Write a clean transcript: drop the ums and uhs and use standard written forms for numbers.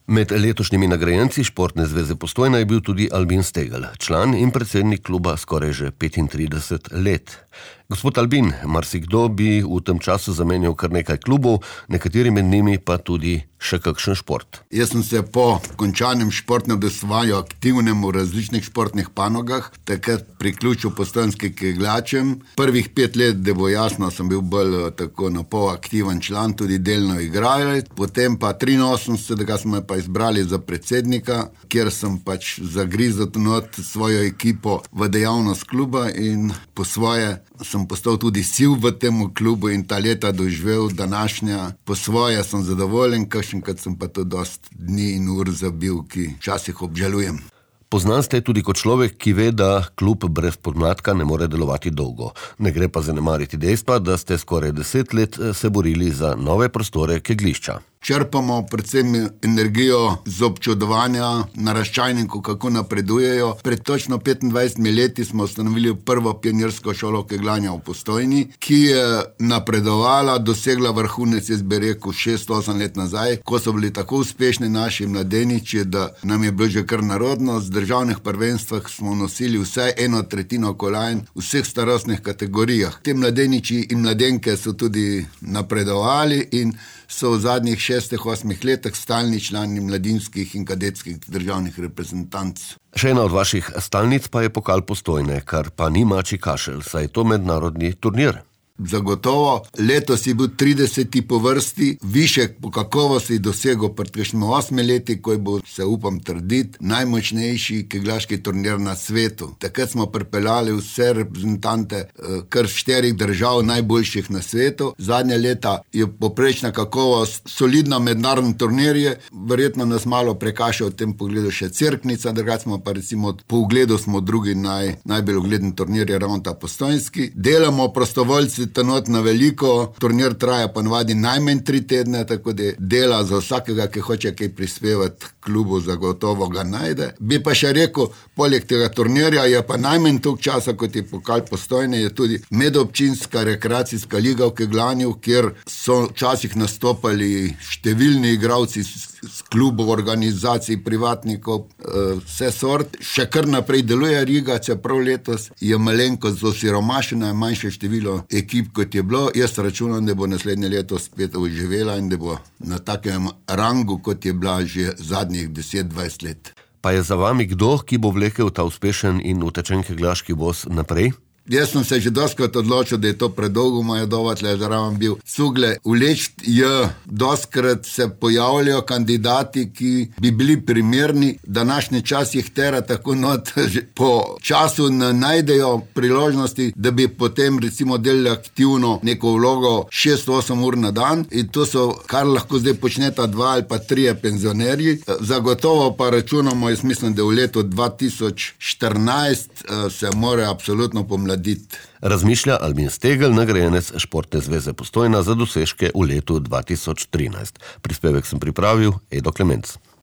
Med letošnjimi nagrajenci Športne zveze Postojna je bil tudi Albin Stegelj, član in predsednik kluba skoraj že 35 let. Gospod Albin, marsikdo bi v tem času zamenjal kar nekaj klubov, nekateri med njimi pa tudi še kakšen šport. Jaz sem se po končanem športnem udejstvovanju aktivnem v različnih športnih panogah takrat priključil postojnskim kegljačem. Prvih 5 let, da bo jasno, sem bil bolj tako na pol aktiven član, tudi delno igralec. Potem pa 83, da smo me pa izbrali za predsednika, kjer sem pač zagrizel not svojo ekipo v dejavnost kluba in po svoje sem postal tudi sil v tem klubu in ta leta doživel današnja. Po svoje sem zadovoljen, kakšenkrat sem pa to dost dni in ur zabil, ki včasih obžalujem. Poznan ste tudi kot človek, ki ve, da klub brez podmladka ne more delovati dolgo. Ne gre pa zanemariti dejstva, da ste skoraj 10 let se borili za nove prostore kegljišča. Črpamo predvsem energijo z občudovanja naraščajnikov, kako napredujejo. Pred točno 25 leti smo ustanovili prvo pionirsko šolo kegljanja v Postojni, ki je napredovala, dosegla vrhunec, jaz bi rekel, 6-8 let nazaj, ko so bili tako uspešni naši mladeniči, da nam je bilo že kar narodno. Z državnih prvenstvah smo nosili vsaj 1/3 kolajn v vseh starostnih kategorijah. Te mladeniči in mladenke so tudi napredovali in so v zadnjih 6-8 letih stalni člani mladinskih in kadetskih državnih reprezentanc. Še ena od vaših stalnic pa je pokal Postojne, kar pa ni mačji kašelj, saj je to mednarodni turnir. Zagotovo, letos je bil 30. po vrsti, višek po kakovosti dosegel pred 8 leti, ko je bil, se upam trditi, najmočnejši kegljaški turnir na svetu. Takrat smo pripeljali vse reprezentante kar 4 držav najboljših na svetu. Zadnje leta je poprečna kakovost solidna mednarodna turnirje, verjetno nas malo prekaša v tem pogledu še Cerknica, drugače smo pa recimo po ugledu smo drugi najbolj ugleden turnir je ravno ta postojnski. Delamo prostovoljci tenot na veliko, turnir traja pa navadi najmanj 3 tedne, tako da dela za vsakega, ki hoče kaj prispevati klubu, zagotovo ga najde. Bi pa še rekel, poleg tega turnirja je pa najmanj toliko časa, kot je pokal Postojne, je tudi medobčinska rekreacijska liga v kegljanju, kjer so včasih nastopali številni igralci z klubov, organizacij, privatnikov, vse sort. Še kar naprej deluje Riga, čeprav letos je malenkost osiromašena, je manjše število ekip, kot je bilo. Jaz računam, da bo naslednje leto spet oživela in da bo na takem rangu, kot je bila že zadnjih 10-20 let. Pa je za vami kdo, ki bo vlekel ta uspešen in utečen kegljaški voz naprej? Jaz sem se že dostkrat odločil, da je to predolgo moja doba, tle zraven bil Cugle. Vleči dostkrat se pojavljajo kandidati, ki bi bili primerni. Današnji čas jih tera tako not, po času ne najdejo priložnosti, da bi potem recimo delali aktivno neko vlogo 6-8 ur na dan in to so, kar lahko zdaj počneta 2 ali pa 3 penzionerji. Zagotovo pa računamo, jaz mislim, da v letu 2014 se mora absolutno pomladiti. Razmišlja Albin Stegelj, nagrajenec Športne zveze Postojna za dosežke v letu 2013. Prispevek sem pripravil Edo Klemenc.